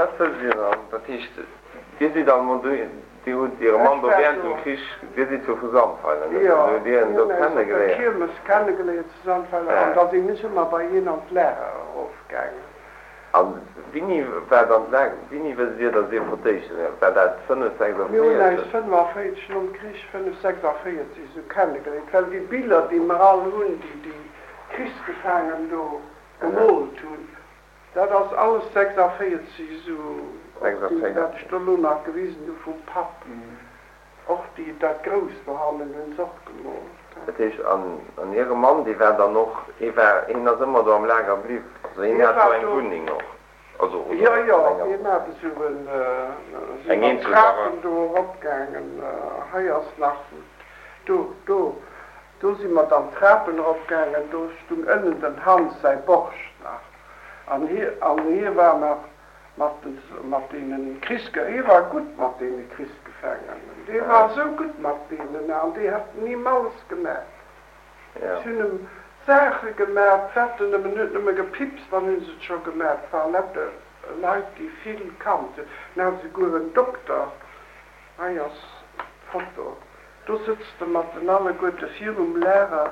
dat wësst Dir dann. Dat heescht, Dir sidd dann emol do, Dir hutt Iere Mann do während dem Krich, Dir sidd jo vu Sandweiler, net? Jo, Dann hutt Dir en mir do hunn eis op der kennegeléiert. Kiermes kennegeléiert zu Sandweiler an da sinn ech ëmmer bei hien an d'Lager erofgaangen. A wéini war dann d'Lager, wéini wësst Dir, datt Dir fir d'éischt, war dat 5, Mir hunn 46? eis 45, nom Krich, 5, 46 esou kennegeléiert, well déi Biller, déi mer all hunn, déi déi Krichsgefaangen do gemoolt hunn, dat ass alles 46 esou, och déi, wat ech do elo nach gewisen hu vum Papp. Och déi, dat Grousst dohannen hunn se och gemoolt. Dat heescht, an hire Mann, dee war dann och, hee war, hien ass ëmmer do am Lager bliww, also hien hat do eng Wunneng och, also, oder Jo, jo, hien hat esou en, esou eng mat eenzel Barack. Trapen do eropgaangen. Hei ass nach, do, do, do si mer dann d'Trapen eropgaangen, do stung ënnen dem Hans säi Borscht nach, an hie, an hie war nach Mat mat deenen Krichsge hie war gutt mat deene Krichsgefaangenen, dee war esou gutt mat deenen an déi hätten him alles gemat. Si hunn em Saache gemat, wat en nëmmen huet nëmme gepipst, dann hunn se et scho gemat. Et ware lauter Leit, déi vill kannt hunn. En hat esouguer en Dokter, hei ass d'Foto, do sëtzt e mat den alleguerte virum Lager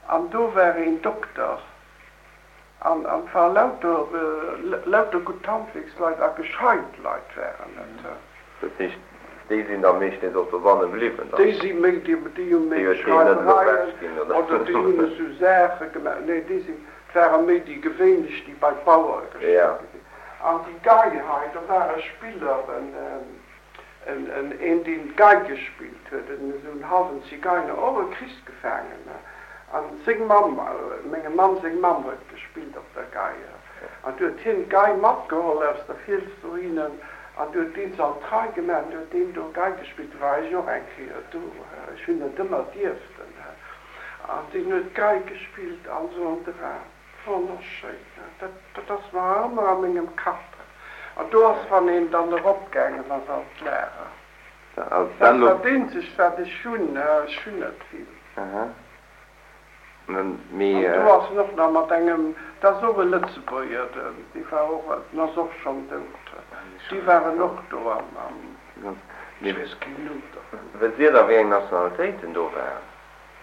an do war een Dokter. An et ware lauter, lauter gutt Handwierksleit a gescheit Leit waren et. Dat heescht, déi sinn da meeschtens och dobanne bliwwen dann? Déi si méi, déi, déi hu méi Déi huet deen net elo Schreiwereien ewechginn, oder? oder déi hunn esou Saache gemaach. Nee, déi sinn, et ware méi déi gewéinlech, déi bei d'Bauere geschéckt gi sinn. An déi Gei hei, do war e Spiller, en, En een deen d'Gei gespillt huet, en esou en halwen Zigeiner, och e Krichsgefaangene, an seng Mamm, mengem Mann seng Mamm huet gespillt op der Gei, an du huet hien d'Gei matgeholl aus der Fiels dohinnen, an du huet deen se an d'Rei gemaach, an du huet deen do Gei gespillt, du war ech och eng Kéier do, ech hunn net ëmmer dierften, an deen huet Gei gespillt an esou an de Raum. Wonnerschéin, dat dat ass nach ëmmer a mengem Kapp. An do ass wann een dann eropgaangen ass an d'Lager. Dat ass dat eenzegt wat ech hunn, ech hunn net vill. An do ass en och nach mat engem, dat ass och e Lëtzebuerger, dee war och, den ass och schonn dout, déi waren och do am, ech weess keen Numm dervun. Wësst Dir da wéi eng Nationalitéiten do waren?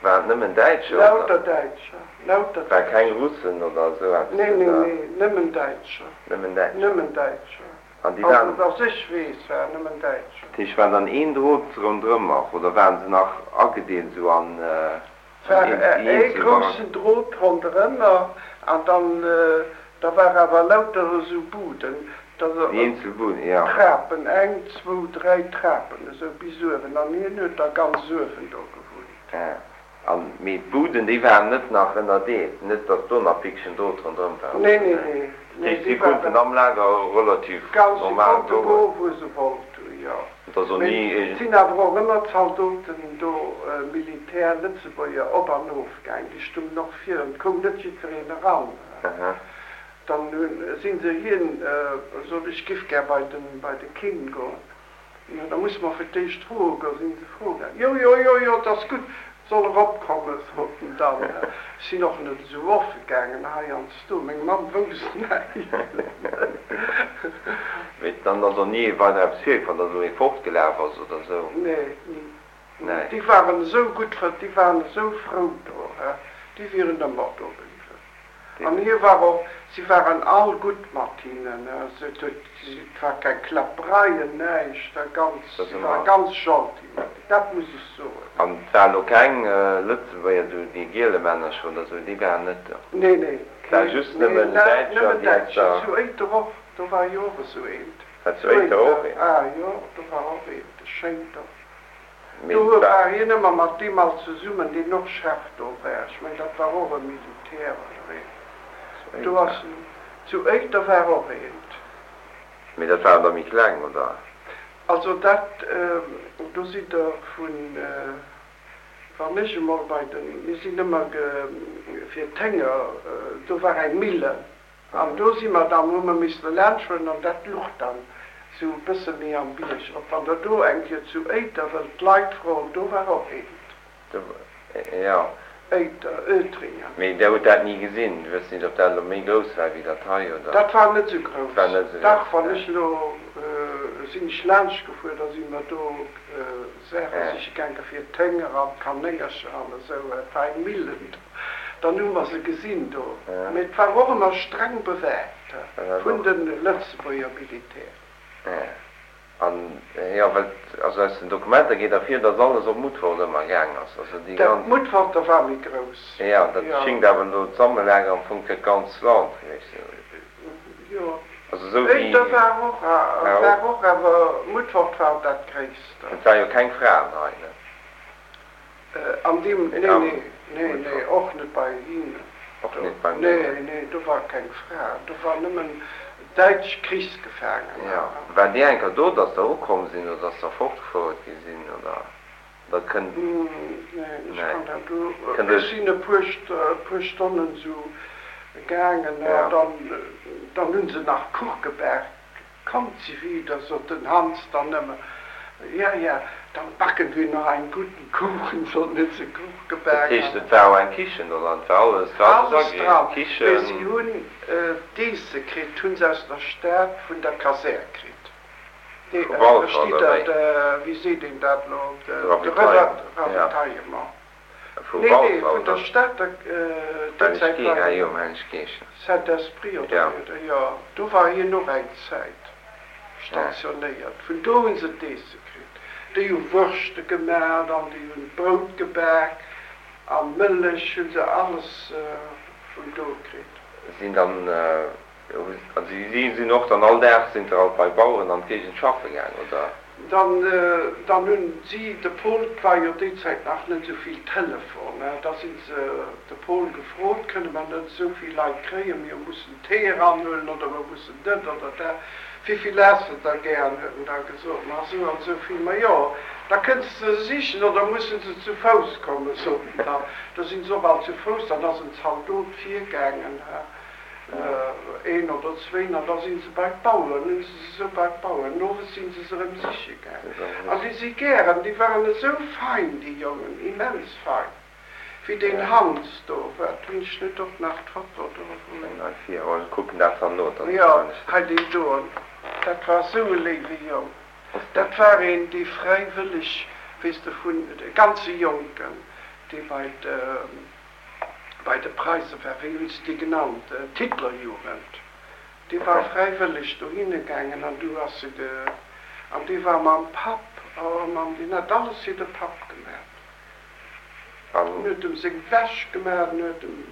Waren et nëmmen Däitscher oder? Lauter Däitscher, lauter War keng Däitscher. Russen oder esou eppes Nee, nee, oder? nee, nëmmen Däitscher. Nëmmen Däitscher. Nëmmen Däitscher. An déi Also waren. dass ech weess, waren nëmmen Däitscher. Dat heescht, war dann een Drot ronderëm och oder waren se nach agedeelt esou an Et war déi ee eenzel Baracken? groussen Drot ronderëmmer an dann, da war awer lauter esou Buden, da. Déi eenzel Buden, jo. Trapen, eng, zwou, dräi Trapen esou bis uewen an hien huet da ganz uewen do gewunnt. Ah, an, mee d'Buden, déi waren net nach ënnerdeelt, net datt do nach Pickchen Drot ronderëm war Nee, oder nee, sou? nee, Dat nee, heescht, si déi war konnten am Lager relativ ganz, si normal konnte goen? goen, wou se wollt hunn, jo. Et ass och Mee ni et iergend. sinn awer och ëmmer Zaldoten do, Militär, Lëtzebuerger, op an of gaang, déi stungen och vir an et koum net jiddwereen eran. Aha. Dann hunn, si se hien, sot ech giff gär bei den, bei de King goen. Jo, da musse mer fir d'éischt froe goen. Sinn se froe gaangen. Jo, jo, jo, jo, 't ass gutt, et soll eropkommen, sot en dann. Ech sinn och net esou offe gaangen heiansdo, meng Mamm wousst näischt. Mee dann ass och ni weider eppes virgefall, datt elo ee fortgelaf ass oder esou? Nee, ni. Nee. Déi waren esou gutt, déi waren esou frou do, déi wieren ëmmer do bliwwen. An hie war och, si waren all gutt mat hinnen, et huet, et war keng Kläppereien, näischt, ganz, si ware ganz gentil mat hinnen, dat muss ech soen. An et war elo keng Lëtzebuerger, esou déi Gielemännercher oder esou, déi waren net do? Nee, nee, Et war keen, just nee, nëmmen Däitscher, nëmmen déi aus Däitscher. der. Zu Éiter och, do war jo och esou eent. War zu Éiter och eent? Ah jo, do war och eent, e schéint och. Mee Do et war. war hien ëmmer mat deem all zesummen, deen och Chef do war. Ech mengen, dat war och e Militär oder een. Do ass en, zu Éiter war och eent. Mee dat waren der méi kleng, oder? Also dat, do sidd Der vun, wann ech emol bei den, mir sinn ëmmer ge, fir d'Hénger, do war eng Millen. An do si mer dann, hu mer misste laanschtfueren an dat luch dann esou e bësse méi am Bierg erop. Wann Der do eng Kéier zu Éiter wëllt d'Leit froen, do war och eent. Do, jo. Oetringen. Mee Der hutt dat ni gesinn? Dir wësst nit, ob dat elo méi grouss war wéi dat hei, oder? Dat war net esou grouss. War net esou Dach, grouss, wann ja. ech elo, sinn ech laanscht gefuer, da si mer do Saache siche gaange fir d'Hénger an d'Kanéngercher an esou. Et war eng Millen do. Dann hu mer se gesinn do. Mee et war och ëmmer streng bewaacht vun de Lëtzebuerger Militär. An, jo, well, also aus den Dokumenter geet ervir, dass alles op Mutfert ëmmer gaang ass, also déi Dat ganz. Mutferter war méi grouss, Jo, dat jo. schingt awer elo d'Sammellager am Fong fir d'ganz Land gewiescht ze sinn. Jo, Also esou wéi. Éiter war och, War war och. och, awer Mutfert war dat gréisste. Et war jo keng Fraen hei, ne? An deem, nee, nee, nee, nee, och net bei hinnen. Och net beim Nee, deenen. nee, do war keng Fra, do war nëmmen däitsch Krichsgefaangener. Jo. War dir eng Kéier do, datt der ukomm sinn oder datt der fortgefouert gi sinn, oder dat kënnt? Nee, ech Nee. kann dat do, Kënnt ech Iech. sinn e puer, e puer Stonnen esou gaangen an Ja. dann, dann hu se nach Kuch gebak. Kommt sie wieder, sot den Hans dann nëmme. Ja, ja, dann backen wir noch einen guten Kuchen, sot en, huet se Kuch Dat gebak heescht, an. et war och eng Kichen do dran, et war alles, et war alles Alles ageriicht, dran, mee Kichen. si hunn d'Eesse kritt, hunn se aus der Stad vun der Kasär kritt. Dee, Vu Walfer, verstitt oder Der, wéi? de, wéi seet een dat elo, De de Ravitaillement, ja. Ravitaillement. Vu Nee, nee, Walfer, vun der oder? Stater, déi Zäit Helleg war. Ah jo, um Hellegkeechen. Saint-Esprit oder Ja. wéi, jo, do war hien och eng Zäit stationéiert. Vun do hu se d'Eesse kritt. Déi hu Wurschte gemaat an déi hunn Brout gebak an Mëllech hu se alles vun do kritt. Sinn dann, also si sinn och dann all Dag sinn der alt bei Baueren an d'Géigend schaffe gaang, oder? Dann, dann hunn si de Paul, 't war jo déi Zäit nach net esou vill Telefon, da si se de Paul gefrot, kënne mer net esou vill Leit kréien, mir mussen Téi eranhuelen oder mer mussen dat oder dat, wéivill häss de der gären, huet en da gesot, ma esou an esou vill, ma jo, da kënns de se sichen oder musse se zu Fouss kommen, sot en dann. Da sinn se och all zu Fouss, dann ass en Zaldot virgaangen. Een oder zwéin, an da si se bei d'Baueren, hunn se se esou bei d'Baueren, owes si se se erëm siche gaangen. An déi si gären, déi waren esou fein, déi Jongen, immens fein, wéi deen Hans do, wat hunn ech net och nach d'Foto do wou, jo, hei deen doen, dat war esou e léiwe Jong, dat war een, dee fräiwëlleg, weess de, vun, e ganze Jonken, dee bei de. bei de Preise war, wéi hunn se déi genannt, d'Hitlerjugend, déi war fräiwëlleg dohinne gaangen an du ass se ge, an déi war mam Papp, oh Mann, deen hat alles fir de Papp gemaat, en huet em seng Wäsch gemaat, en huet em,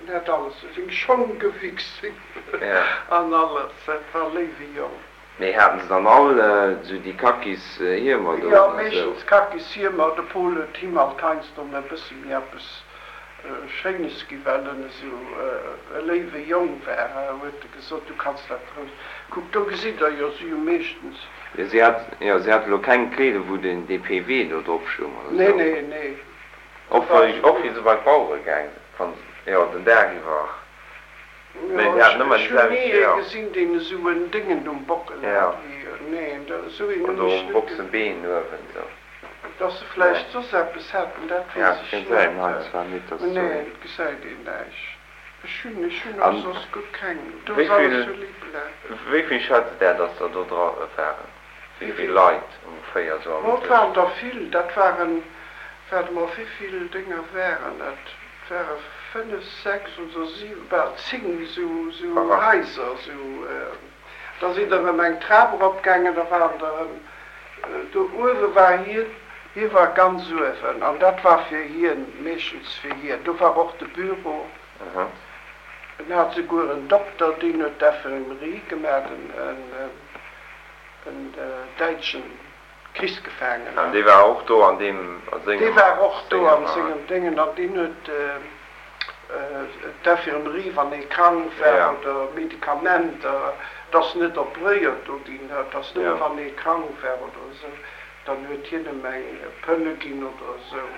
en hat alles, seng Schong gewichst an alles, dat war léiwe Jong. Mee haten se dann all esou déi Kakis Hiemer do Jo, oder esou? meeschtens Kakis Hiemer. De Paul huet him alt heiansdo e bësse méi eppes Schéines gi well en esou e léiwe Jong war, huet e gesot, du kanns dat roueg. Kuck, do gesitt der jo, si hu meeschtens. Jo, si hat, jo, si hat elo keng Kleeder wou den DPW do drop stoung oder Nee, esou? nee, nee. Och wéi, och wéi se bei d'Bauere gaang sinn, jo, den Dag iwwer. Jo, ech hunn ni ee gesinn, deen esou en Déngen um Bockel hat wéi, neen, esou een hunn ech net gesinn. Dass se vläicht soss eppes haten, dat weess ech net, mä neen, et gesäit een näischt. Ech hunn, ech hunn och soss guer keng, do ass alles sou libla. Wéi vill schätzt Der, dass der do dra waren? Wéi vill Leit ongeféier sou am Oh, et waren der vill. Dat waren, waart emol, wéi vill Dénger waren et? Et ware fënnef, sechs oder siwen, bal zéng sou, sou Haiser, sou. Da sinn der erëm eng Trap eropgaangen, da waren der erëm, do uewe war hien, hie war ganz uewen an dat war fir hien, meeschtens fir hien. Do war och de Büro. En hat souguer en Dokter, deen huet d'Infirmerie gemaach, en. En däitschen Krichsgefaangenen. An dee war och do an deem, a sengem. Dee war och do an sengem Déngen an deen huet d'Infirmerie, wann ee krank war oder Medikamenter, et ass net opréiert do ginn, et ass nëmme wann ee krank war oder esou, dann huet hien em eng Pëlle ginn oder esou,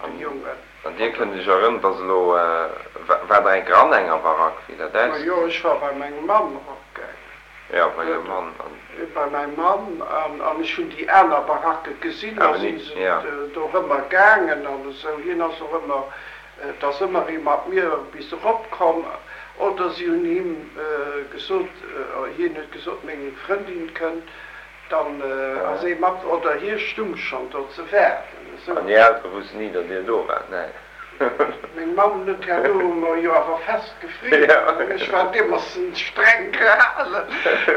de Jongen. An Dir kënnt Iech erënneren, dass elo, war der eng Kéier an enger Barack, wéi dat Majo, ausgesinn? ech war bei meng Mamm eropgaangen. Jo. bei Är Mann an. Bei mäi Mann an ech hunn déi aner Baracke gesinn, da si se dorëmmer gaangen an esou. Hien ass och ëmmer, et ass ëmmer ee mat mir bis erop komm oder si hunn him gesot, hien huet gesot, meng Frëndin kënnt, dann ass ee mat oder hie stung schonn do ze waarden esou. An Är Eltere wussten ni, datt Dir do waart? Nee. Meng Mamm net, herno hu mer jo awer fest gefriert an ech war deemossen streng gehalen.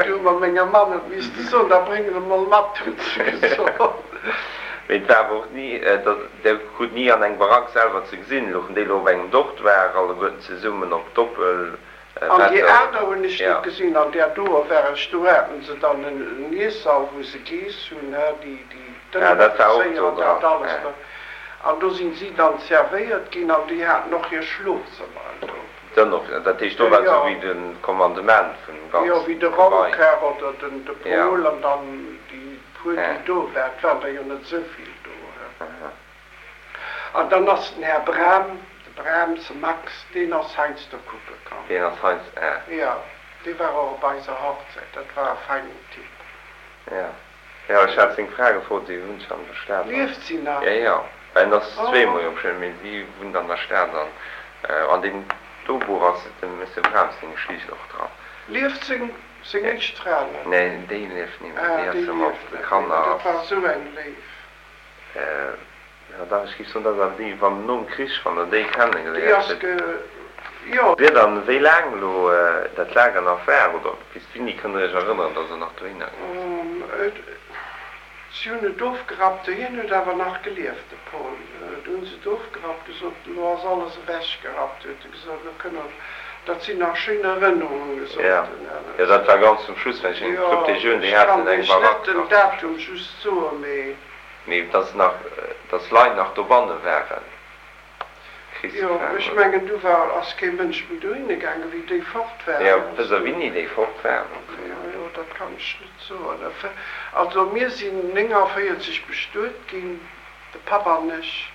Du hu mer menger Mamm et misste soen, da bréng se emol mat, huet se gesot. Mee et war awer och ni, datt Der krut ni an eng Barack selwer ze gesinn, louchen déi elo op engem Dortoir alleguerten zesummen op Doppel. An déi aner hunn ech net gesinn. An där doer war ech, do haten se dann en Iessall, wou se giess hunn, hä, déi Dënneroffizéier an dat alles do. An do sinn si dann zervéiert ginn an déi haten och hir Schlofzëmmeren do. Dënneroffizéier, dat heescht, do war esou wéi de Kommandement vun dem ganze Gebai. Jo, wéi de Raumkar oder den de Paul an dann déi puer, déi do waren. Et waren der jo net esou vill do, hä. An dann ass den Här Bram, de Brahms Max, deen ass heiansdo kucke komm. Deen ass heiansdo, ah. Jo, dee war och op eiser Hochzäit. Dat war e feinen Typ. Ja, jo, ech hat seng Fra gefrot, si wunnt scho an der Stad. Lieft si nach? Jo, jo, well en ass zweemol jo bestuet, mee si wunnt an der Stad an an deem do Buch ass dem Monsieur Brahms seng Geschicht och dran. Lieft seng, seng éischt Fra nach? Nee, déi lieft ni méi, déi ass jo mat de Kanner. Ah, déi lieft net méi. Dat war esou eng léif. Jo dach, ech géif soen, dat ass awer déi, wann nom Krich, wann der déi kennegeléiert hutt. Jo. Wier dann, wéi laang elo dat Lager nach war, oder bis wéini kënnt der Iech erënneren, datt der nach dohinner gaange sidd? Si hunn et ofgerappt, hien huet awer nach gelieft, de Paul. Du hunn se et ofgerappt, gesot, elo ass alles ewechgerappt, huet e gesot, elo kënne mer, dat sinn nach schéin Erënnerungen, gesot en. Jo, dat war ganz zum Schluss, well ech eng Trupp Dejeunen, déi haten eng Barack nach. Jo, ech kann iech net den Datum just soen, mee. Mee dass nach, dass Leit nach dobanne waren, Jo, ech mengen du war, ass kee Mënsch méi dohinne gaangen, wéi déi fort waren. Jo, wësst Der wéini déi fort waren? Jo, jo, dat kann ech net soen. Also mir sinn 49 bestuet ginn, de Papp an ech.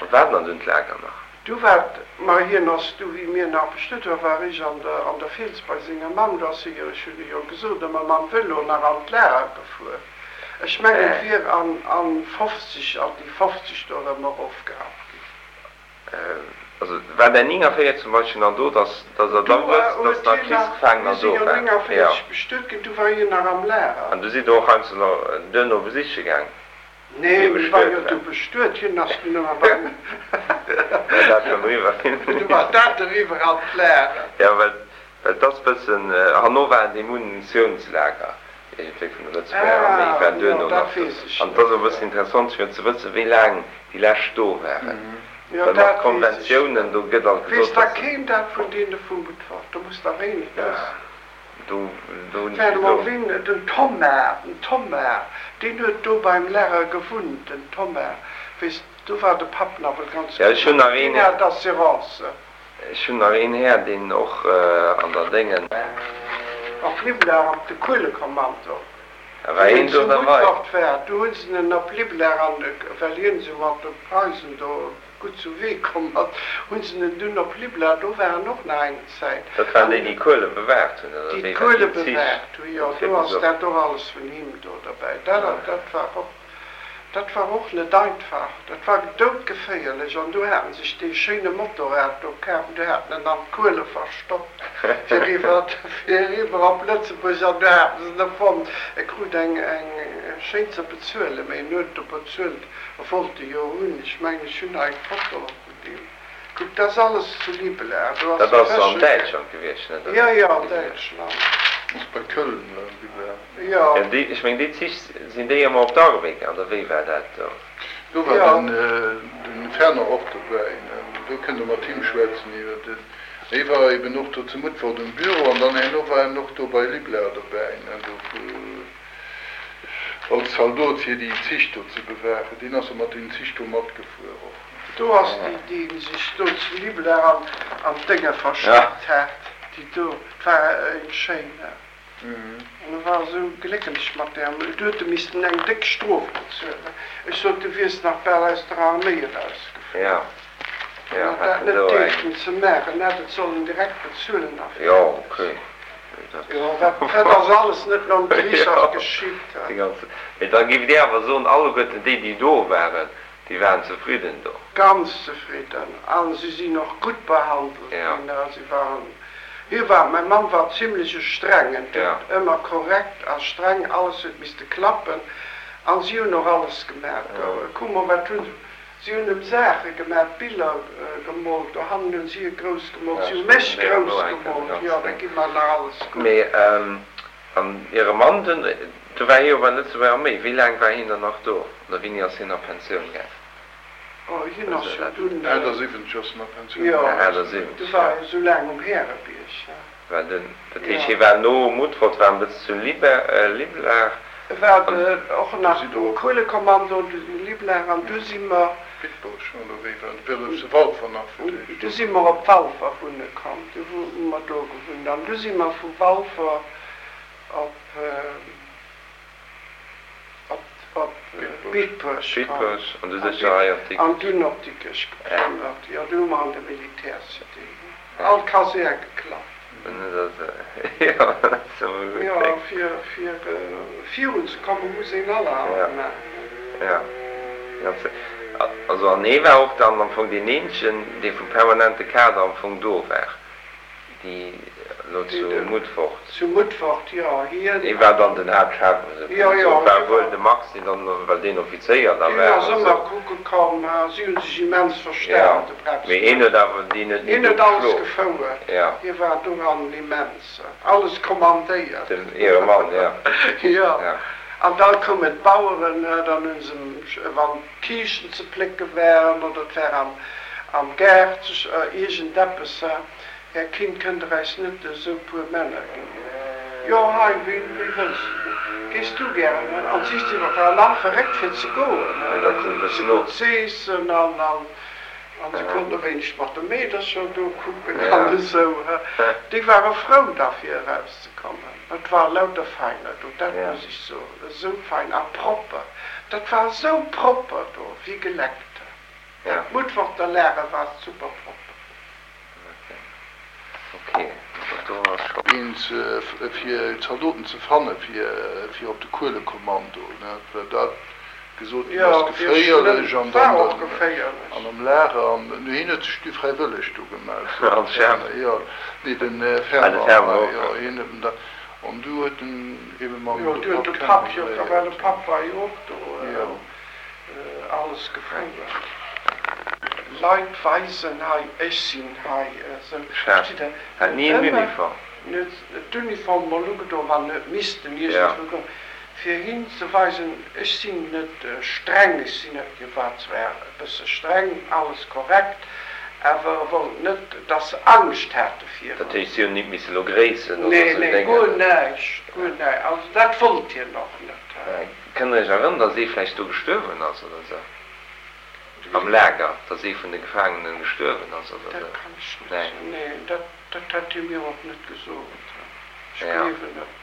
A war dann dunn d'Lager nach? Du war, ma hien ass du, wéi mir nach bestuet waren, war ech an der, an der Fiels bei senger Mamm, do ass hie jo, ech hunn e jo gesot, ëmmer mam Vëlo nach an d'Lager gefuer. Ech mengen et wier an an 50, an déi 50 do erëm erofgerappt ginn. Also war där 49 zum Beispill nach do, dass dass Der da wësst, dass nach Krichsgefaangener do waren? Mir si jo 49 bestuet ginn, du war hien nach am Lager. An du sidd Der och heiansdo nach duerno besiche gaang, wéi e Nee, mir war bestuet jo war? du bestuet, hien ass dunn ëmmer beim. War dat schonn eriwwer? Du war dat eriwwer an d'Lager. Jo, well Well et ass bëssen, herno war et ee Munitiounslager iergendwéi vun der Lëtzebuerger Arméi, Ah, war jo, duerno dat nach do. weess ech An et net, ass och e jo. bëssen interessant fir ze wëssen, wéi laang déi lescht do waren. Jo, Well mat dat weess ech Konventiounen, net. do gëtt alt Weess gesot, da dass. keen dat vun deene vum Beutfort? Do muss der wéi net wëssen. Do, do hunn ech Wart emol, gesot. ween, den Thomas, den Thomas, deen huet do beim Lager gewunnt, den Thomas, weess, do war de Papp nach wëll ganz Ja, gutt ech hunn mat, nach deen een. hat Assurance. Ech hunn nach een Här, deen och an der Déngen. Op Liblar op de Kuelekommando. War Wéi een en do zu derbei? Mutfert war, du hunn se en op Liblar an, well hien esou mat de Preisen do gutt zu Wee komm ass, hunn se en dunn op Liblar, do war en och nach eng Zäit. Dat waren déi, déi d'Kuele bewaacht hunn, oder Déi wéi war d'Kuele déi Zich? bewaacht hunn, jo, do ass dat och alles vun him do derbäi. Dat, dat war och. Dat war och net einfach, dat war doudgeféierlech an du haten sech dee schéine Motorrad do kaf an du haten en an d'Kuele verstoppt fir eriwwer, fir eriwwer op Lëtzebuerg an du haten se en fonnt. E krut eng, eng schéin ze bezuelen, mee en huet e bezuelt, e wollt e jo hunn. Ech mengen ech hunn nach eng Foto vun deem. Kuck, dat ass alles zu Liblar, do ass Dat de ass an Fëschel. Däitschland gewiescht, net? Jo, jo, an Däitschland. Ass bei Köln, Liblar. Jo. Jo, déi, ech meng déi Zich, sinn déi ëmmer op d'Arbed gaang, oder wéi war dat do? Do war den den Fernand och dobäi, ne? Do kënnt der mat him schwätzen iwwer den, hie war eben och do zu Mutfert um Büro an dann herno war en och do bei Liblar dobäi, ne, do als Zaldot fir déi Zich do ze bewaachen. Deen ass jo mat deenen Zich do matgefuer och. Do ass déi, déi sech do zu Liblar an an d'Dénge verstoppt hat, déi do, 't war eng schéin, ne? An e war esou glécklech mat där. Du huet e missten eng déck Strof bezuelen. Ech sot, du wiers nach bal aus der Arméi erausgeflunn. An hat dat net dierften ze maachen, hätt et sollen direkt bezuelen a fäerdeg. Jo, dat ass alles net nom Krich ass geschitt. Mee da giff Dir awer soen, alleguerten déi, déi do waren, déi waren zefridden do? Ganz zefridden. A si sinn och gutt behandelt ginn. Si waren, hie war, mäi Mann war zimlech e Strengen, huet ëmmer korrekt a streng, alles huet misste klappen. A si hunn och alles gemaach. Kuck mol, wat hunn Si hunn em Saache gemaat, Biller gemolt, dohannen hunn si e grouss gemolt, si hu mech grouss gemolt, jo, dat gi mer nach alles gutt. Mee an hire Mann dunn, du war hie jo bei der Lëtzebuerger Arméi, wéi laang war hien dann nach do oder wéini ass hien a Pensioun gaang? Oh, hien ass jo dunn. 78 ass en a Pensioun gaang. Jo, du war jo sou laang um Härebierg. War den, dat heescht hie war no Mutfert, war en bëssen zu Liblar. E war och nach um Kuelekommando zu Liblar an du si mer. Bitburg oder wéi war dat? War zu Walfer nach fir d'éischt. Du si mer op Walfer wunne komm, du hu mer do gewunnt an du si mer vu Walfer op. Op Bitburg an dunn op Dikrech geplënnert. Jo, du hu mer an der Militärcité all Kasär geklappt. Jo, fir virun ze kommen, muss een allerhand maachen. Also an hee war och dann am Fong deen eenzegen, dee vum permanente Kader am Fong do war. Déi elo zu Mutfort. Zu Mutfort, jo. Hien. Hie war dann den Haaptchef, esou kann een soen. War wuel de Max, deen dann, well deen Offizéier da war. Deen ass ëmmer kucke komm. Si hu sech immens verstan, de Breps. Mee hien huet awer, deen huet ni do geschlof. Hien huet alles gefouert. Hie war doran immens. Alles kommandéiert. Den Ehremann, jo. Jo. An da koumen d'Baueren, dann hu se, wann d'Kiischten ze plécke waren oder et war am Gaart iergendeppes, Här Kind, kënnt Der äis net esou puer Männer ginn? Jo, hei, wéi wëlls de? Gees du gären? An si si war nach verréckt fir ze goen. Da kruten se gutt z'eessen an se konnten e wéineg mat de Meedercher do kucken an esou. Déi ware frou da fir erauszekommen. Et war lauter Feiner do, dat muss ech soen, esou fein a propper. Dat war esou propper do, wéi geleckt. Dat Mutforter Lager war super propper. Eens fir Zaldoten ze fanne fir op de Kuelekommando, well dat gesot ginn ass, geféierlech an dann an am Lager. An hien huet sech du fräiwëlleg do gemellt, jo, nee, den Fernand, jo, hien huet en da, an du huet en ebe mam Papp kennegeléiert. Alles gefruer. Leit weisen hei, ech sinn hei esou. Chef, hat ni en Uniform. Huet d'Uniform mol ugedoen, wann huet missten iergendwou goen, fir hin ze weisen, ech sinn net streng, ech sinn net, hie war zwar e bësse streng, alles korrekt, awer e wollt net, dass se Angscht hate virun. Dat heescht, si hunn nit misse lo gréissen oder esou Dénger? Nee, nee, guer näischt, guer näischt. Also dat wollt hien och net. Kënnt der iech erënneren, dass ee vläicht do gestuerwen ass oder sou? Am Lager, dass ee vun de Gefaangenen gestuerwen ass oder sou? Dat kann ech net soen. Nee, dat, dat hätt hie mir och net gesot. Ech gleewen net.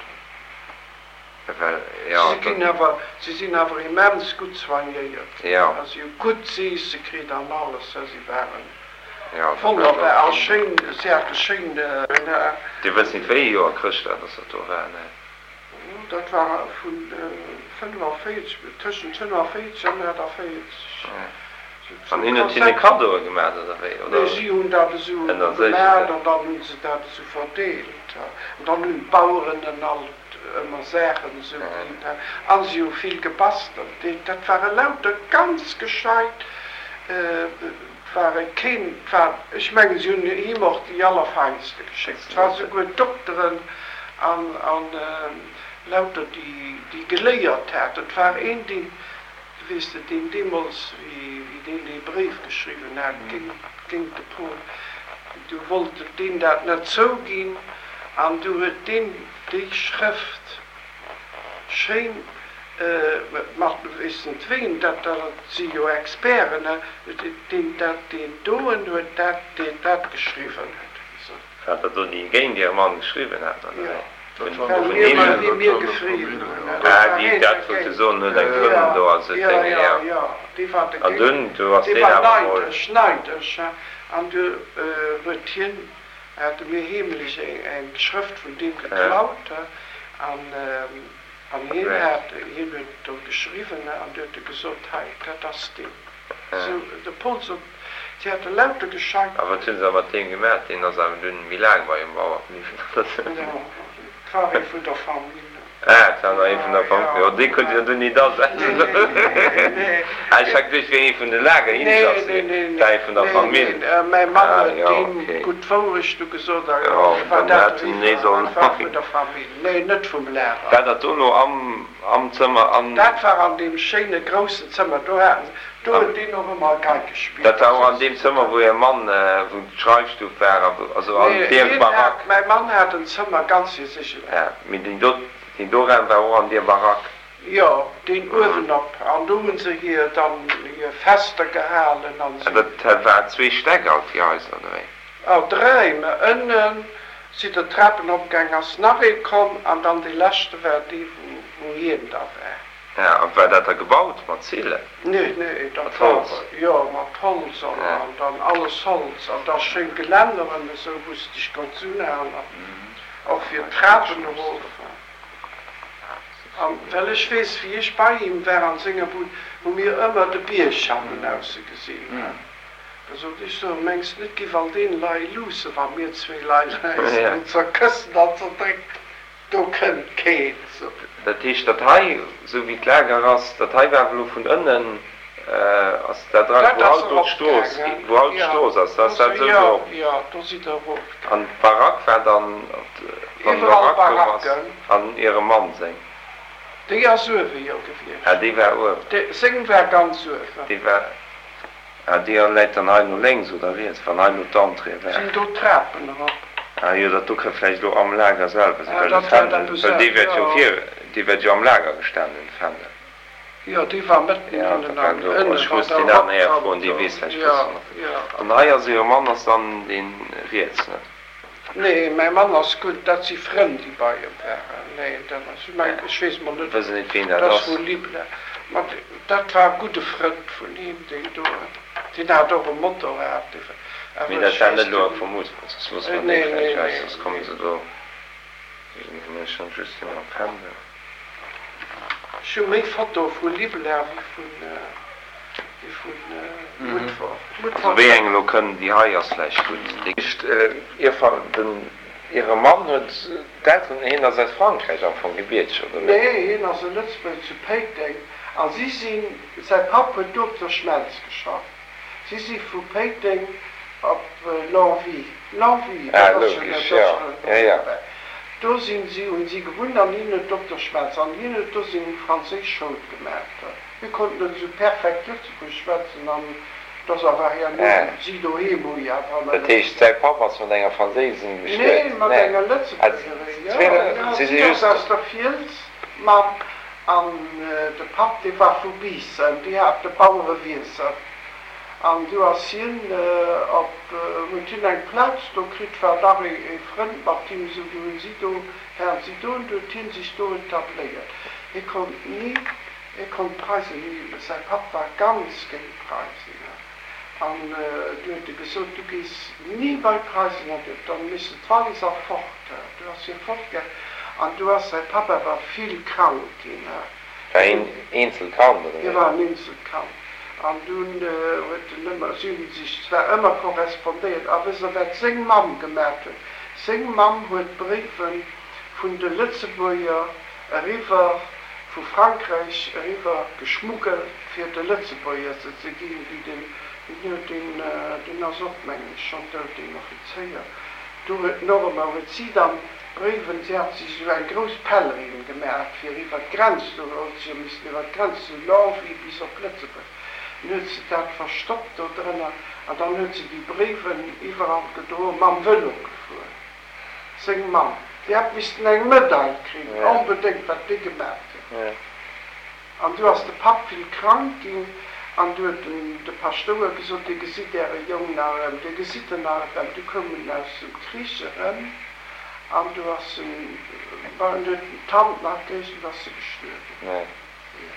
Well, jo. Si ginn awer, si sinn awer immens gutt soignéiert ginn. Jo. Si hu gutt z'eesse kritt an alles. Si waren wonnerbar a schéin, si hate schéin. Dir wësst nit, wéi ee Joer Chrëschtdag dass dat do war, nee? Dat war vun 45, tëschent 45 an 48. An hien huet hinne Kaddoe gemaat, oder wéi? Oder Nee, si hunn dat esou gemaat an dann hu se dat esou verdeelt. An dann hunn d'Baueren en alt ëmmer Saachen esou ginn. A si hu vill gebastelt. Dat ware lauter ganz gescheit, 't ware keen, 't war, ech mengen, si hunn him och déi Allerfeinste geschéckt. 't war souguer Dokteren an, an lauter déi, déi geléiert haten. 't war een, deen, weess de, deen deemools, wéi, wéi deen dee Bréif geschriwwen hat géint, géint de Paul, du wollt deen dat net zouginn an du huet deen déi Schrëft, Schéin mat weess net ween, dat dat si jo Experten, deen dat deen doen huet, dat deen dat geschriwwen huet, huet gesot. Wat der do déi géint Äre Mann geschriwwen hat, oder wéi? Well mir well wéi mir gefriwwen hunn, dat war Ah, déi dat wollte soen, huet eng Frëndin do also Jo, Dénge, jo, jo, dee war An dogéint, dunn, du ass dee deen war awer mol. neidesch, neidesch, an du huet hien. Hate mir heemlech eng Schrëft vun deem geklaut, an an hien hat, hien huet do geschriwwen, an du huet e gesot, hei, dat ass deen. Sou, de Pol sot, si hätte lauter gescheit. A wat hunn se da mat deem gemaach? Deen ass awer dunn méi laang bei um Bauer bliwwen, oder sou? Jo, et war ee vun der Famill. Ah, et war nach ee vun der Famill. Jo, dee konnt jo dunn nit asetzen. Nee. Ah, ech hat geduecht, et wier ee vun de Lagerinsassen. Nee, nee, nee. Et war ee vun der Famill. Nee, nee, mäi Mann Ah, huet jo, deem okay. gutt d'Wourecht du gesot a Jo, war dann dat hätt en nee eriwwer. sollen. Dat war vun der Famill. Nee, net vum Lager. War dat do elo am, am Zëmmer an? Dat war an deem schéine groussen Zëmmer. Do haten se, do huet deen och ëmmer Gei gespillt. Dat war och an deem Zëmmer, wou Är Mann, wou d'Schreifstuf war a wou, also an Nee, deer hien Barack? hat, mäi Mann hat en Zëmmer ganz fir sech eleng. Ja, mee deen do, deen do Raum war och an deer Barack? Jo, deen uewenop. An do hu se hir dann hir Fester gehalen an An esou. dat war zwee Stäck alt, déi Haiser, oder wéi? Oh, dräi, mä ënnen si der Trapen opgaang, ass nach ee komm an dann dee leschte war dee wou hien da war. Ja, a war dat da gebaut mat Zillen? Nee, nee, dat Mat war, Holz? jo, mat Holz an an dann alles Holz an da schéin Gelänneren esou, wou s dech konns unhalen, och fir d'Trapen erof. An well ech weess, wéi ech bei him war an senger Bud, hu mir ëmmer de Bierg hannenausse gesinn. Da sot ech, So, mengs net, giff all deen lei luusse, wa mir zwee lei eis do zerkëssen an zerdrécken? Do kënnt keen, sot en. Dat heescht, dat hei, esou wéi d'Lager ass, dat hei war awer elo vun ënnen, ass dat dra, Dat wou ass haut do d'Strooss, eropgaangen, wou haut jo, d'Strooss ass, da do ass dat si, esou do jo, erop. jo, do si der erofgaangen. An d'Barack war dann, op wann Iwwerall d'Barack do ass, Baracken. an Ierem Mann seng? Déi ass uewe, jo, gewiescht. Ah, déi war uewen. Déi, seng war ganz uewen. Déi war. Ah, déi läit dann hei no lénks oder riets, wann hei lo d'Entrée wär? Sinn do d'Trapen erop? Ah jo, dat do ka vläicht lo am Lager selwer sinn, Ah, well de dat war Fändel, eppes, well dee wäert jo jo. vir, dee wäert jo am Lager gestan hunn, de Fändel. Jo, dee war mëtten Ja, hannen dat war am, do. ënne Ech wann muss der deen aneren Här eropkam froen, dee do. weess vläicht Jo, bëssen. jo. An hei ass Äre Mann ass dann dee riets, ne? Nee, mäi Mann ass gutt, dat si Frënn, déi bei em waren. Nee, dat ass, ech mengen, ech weess mol net, Wëssen net, ween dat dat ass ass. vu Libla. Ma dat war e gudde Frënd vun him, deen do, deen hat och e Motorrad, dee war, Mee awer dat ech war weess net elo den. vu Moosbur, soss loosse mer déi Nee, nee, vläicht aus, nee, soss komme nee. se do. Ech hunn just dee mam Fändel. Ech hu méi Fotoe vu Libla wéi vun. Déi vun Mutfert. Also wéi eng elo kënn, déi hei ass vläicht gutt. Déi éischt, den, hire Mann huet d'Elteren, hien ass aus Frankräich am Fong gebierteg, oder net? Nee, hien ass e Lëtzebuerger zu Péiteng a si sinn, säi Papp huet do op der Schmelz geschafft, si si vu Péiteng op Longwy, Longwy, Ah, dat ass jo, logesch, dat ass jo, jo jo, jo. dobäi, do sinn si, hunn si gewunnt an hien huet op der Schmelz an hien huet do seng franséisch Schoul gemaach. Mir konnten net esou perfekt Lëtzebuergesch schwätzen an et ass awer herno si doheem hu jo awer ëmmer Dat heescht, säi Papp ass mat enger Franséisin bestuet? Nee, mat enger Lëtzebuergerin, jo, jo, si ass aus der Fiels, d'Mamm, an de Papp, dee war vu Biissen, déi hate Bauerewiesser an du ass hien op, huet hien eng Plaz do kritt, war dach ee Frënd mat him esou, du hunn si do, waren si do an du huet hien sech do etabléiert. Hie konnt ni. Hie konnt d'Preisen ni, säi Papp war ganz géint d'Preisen, an du huet e gesot, du gees ni bei d'Preisen, an huet dann missen d'Wallis a fort, du ass hie fortgaang, an du ass säi Papp awer vill krank ginn. War hien eenzelt Kand, oder Hie wéi? war en eenzelt Kand, an dunn huet en ëmmer, si hunn sech zwar ëmmer korrespondéiert, a wësst Der wat seng Mamm gemat huet? Seng Mamm huet Bréiwe vun de Lëtzebuerger eriwwer vu Frankräich eriwwer geschmuggelt fir de Lëtzebuerger se ze ginn, déi den, deen huet deen, deen ass och mengen ech schonn dout, deen Offizéier, do huet en och ëmmer, huet si dann d'Bréiwen, si hat sech esou eng grouss Pèlerine gemaach fir iwwer d'Grenz, do huet se jo missen iwwer d'Grenz zu Longwy bis op Lëtzebuerg, dann huet se dat verstoppt do drënner an dann huet se déi Bréiwen iwwerall gedroen, mam Vëlo gefuer. Seng Mamm, déi hätt missten eng Medail kriegen, onbedéngt, wat déi gemat huet. An du ass de Papp vill krank ginn, an du huet den de Paschtouer gesot, Dir gesitt Äre Jong nach erëm, Dir gesitt en nach erëm. Du koum en aus dem Krich erëm, an du ass en, bon, en huet d'Hand nach gekritt, an du ass e gestuerwen. Jo,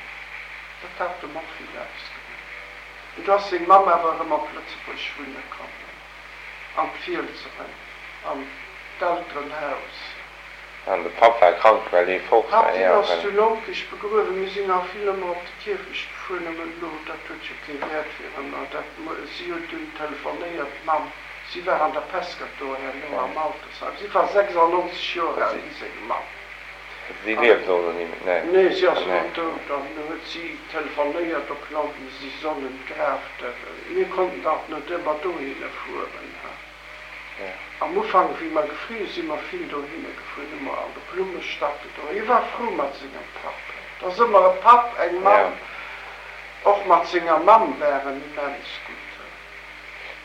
dat hat em och vill ausgemaach. An du ass seng Mamm awer erëm op Lëtzebuerg wunne komm. An d'Fiels erëm. An d'Elterenhaus. An de Papp war krank, well hie fort war. Papp, deen ass zu Lonkech begruewen. Mir sinn nach vill ëmmer op de Kierfecht gefuer, nëmmen elo, dat huet jo kee Wäert fir ëmmer. Dat, si huet dunn telefonéiert, d'Mamm, si war an der Peskert do herno am Altersheim. Si war 96 Joer al, wéi seng Mamm. Si lieft elo ni méi? Nee. Nee, si ass elo dout. An du huet si telefonéiert op London, si sollen d'Graf, mir konnten dach net ëmmer dohinner fueren. Am Ufank, wéi mer gefrier si mer vill dohinner gefuer, hu mer an de Blummestatte do. Hie war frou mat sengem Papp. Et ass ëmmer e Papp, eng Mamm. Och mat senger Mamm war en immens gutt.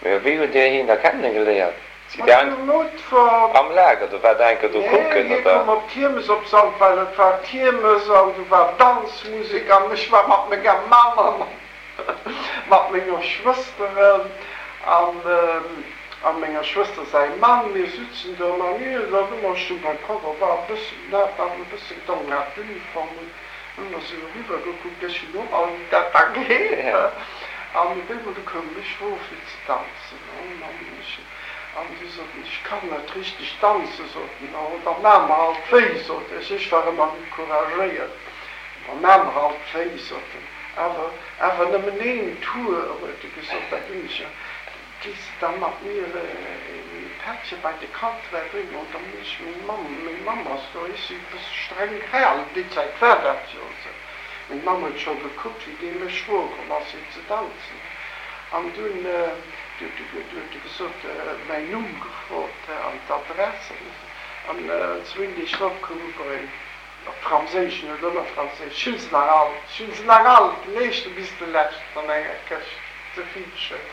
Mä wéi hutt Dir hien da kenne geléiert? Sidd Mat Dir dem Mutfert. Am Lager, do war Der enker do Nee, kucken, hie oder? koum op d'Kiermes op Sandweiler. Et war Kiermes an du war Danzmusek an ech war mat menger Mamm a mat. Mat menger Schwësteren a menger Schwëster säi Mann, mir sutzen do an mir hunn dann ëmmer, ech stung beim Koffer, war e bëssen, hat awer e bësse gedronk, hat d'Uniform un, hunn mer esou eriwwer gekuckt, ech hunn och all, wéi dat da geet, an op eemol du koum ech erof fir ze danzen, an ech, an du sot en, ech kann net richteg danzen, sot en, oh da maa mer alt wéi, sot ech, ech war ëmmer méi couragéiert, da maa mer alt wéi, sot en. Awer, awer nëmmen een Tour, huet e gesot, da ginn ech jo. Gees de da mat mir e Pättche bei de Kanträr bréngen? An da muss ech meng Mamm, meng Mamm ass do, ech si e bësse streng gehalen, déi Zäit war dat jo esou. Meng Mamm huet scho gekuckt, wéi dee mech froe komm ass, fir ze danzen. An dunn huet e gesot, mäin Numm gefrot an d'Adress. An zwéin Deeg drop koum e Bréif. Op Franséisch, en huet ëmmer Franséisch, Ech hunn se nach all, ech hunn se nach all, den éischte bis de leschten an enger Këscht, ze vill schéin.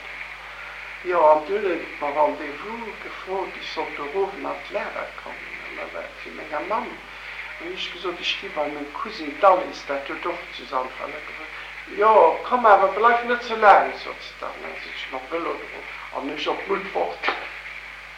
Jo, an dunn huet et mer Rendez-vous gefrot, ech sollt do erofen an d'Lager kommen, an da war et fir menger Mamm. An hunn ech gesot, ech gi bei meng Cousine d'Alice, dat huet och zu Sandweiler gewunnt. Jo, komm awer, bleif net ze laang, sot se dann. Dann sinn ech mam Vëlo erof an hunn ech op d'Muttwort.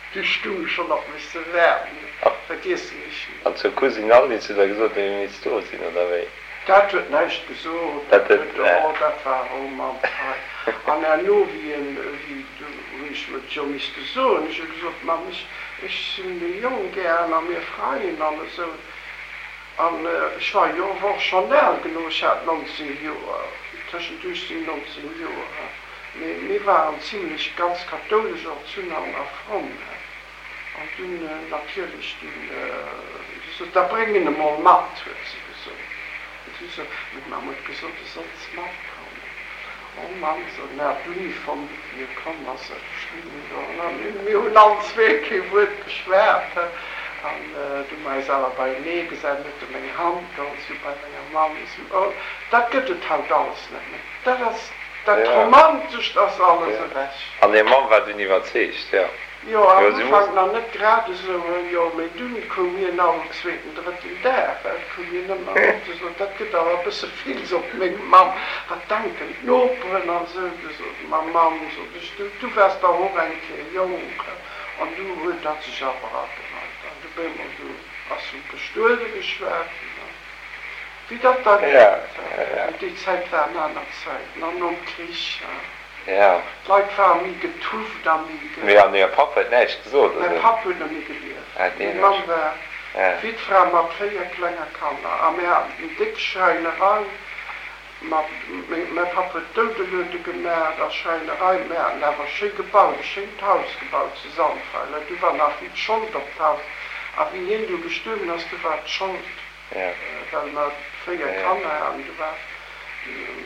Du stung schon op mech ze waarden, vergiessen ech ni. An zur Cousine Alice hutt der gesot, déi misst do sinn, oder wéi? Dat huet näischt gesot, dat huet, oh, dat war, oh Mann, hei. An herno, wéi en, wéi, du hunn ech et jo misste soen, ech hu gesot, Mamm, ech, ech sinn de Jong gären a mir freien an esou. An ech war jo awer och schonn al genuch, ech hat 19 Joer, tëschent 18, 19 Joer. Mee mir waren zimlech ganz kathoulesch erzunn an a fromm. An dunn natierlech, dunn, si sot, da bréng en emol mat, huet se gesot. An si sot, meng Mamm huet gesot, du solls matkommen. Oh Mann, sot en, hat d'Uniform un, wéi e komm ass, ech stoung do an mir hunn allen zwee kee Wuert geschwat. An du hu mer eis awer beienee gesat, en huet e meng Hand geholl, ech hu bei menger Mamm esou, oh, dat gëtt et haut alles net méi, dat ass. Dat Romantescht ass alles ewech. An är Mamm war dunn iwwerzeegt, jo? Jo, am Ufank nach net grad esou, jo, mee dunn koum hien all zweeten, drëtten Dag, et koum hien ëmmer an huet gesot, dat gëtt awer e bësse vill, sot meng Mamm, wat denken d'Noperen an esou. Du sot ma Mamm, sot ech, du, du waars dach och eng Kéier jonk. An du huet dat sech awer agereit an du bémol, du ass vum Bestuede geschwat ginn. Wéi dat da geet. Mee déi Zäit waren aner Zäiten. An nom Krich, d'Leit ware méi getufft a méi ge. Mee an Är Papp huet näischt gesot, oder? Mäi Papp huet net méi gelieft. Meng Mamm war Wittfra mat 4 klenge Kanner. A mir haten eng déck Schräinerei. Mat, mäi Papp huet Doudeluede gemaach a Schräinerei. Mir haten awer schéi gebaut, e schéint Haus gebaut zu Sandweiler. Du war nach vill Schold op d'Haus. A wéi hien du gestuerwen ass, du war d'Schold. Well mer 4 Kanner haten, du war,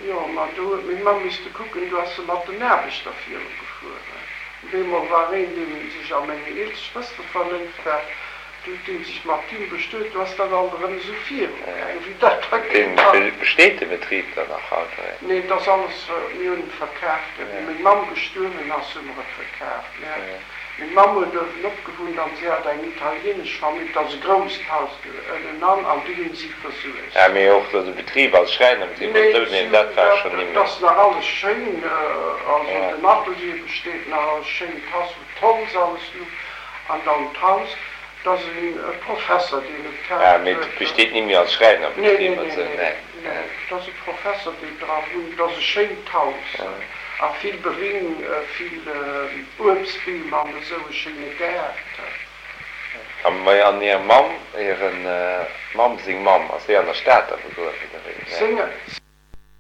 jo, ma do huet meng Mamm misste kucken, du ass se mat den Aarbechter viru gefueren. Op eemol war een, dee sech a meng eelst Schwëster verléift hat, du huet dee sech mat him bestuet, du ass dat alt erëm esou viru gaangen, wéi dat da geet. Besteet de Betrib dann nach haut? Nee, et ass alles, mir hunn et verkaaft. Wéi meng Mamm gestuerwen ass, hu mer et verkaaft. Meng Mamm huet uewenop gewunnt an si hat eng italienesch Famill, et ass e grousst Haus ënnenan an déi hunn si versuergt. Ah, mee och de Betrib als Schräinerbetrib oder esou, neen, dat war schonn nimmer. Et ass nach alles schéin, also den Atelier besteet nach, e schéint Haus wou d'Holz alles luch an dann d'Haus, et ass e Professer deen et kaaft huet. Ah, mee et besteet nimmer als Schräinerbetrib oder esou, neen? Nee, et ass e Professer deen dra wunnt. Et ass e schéint Haus a vill Bering, vill Uebstbeem an esou e schéine Gaart. An hir Mamm, hire Mamm seng Mamm, ass déi an der Stad da begruewen, oder wéi? Seng.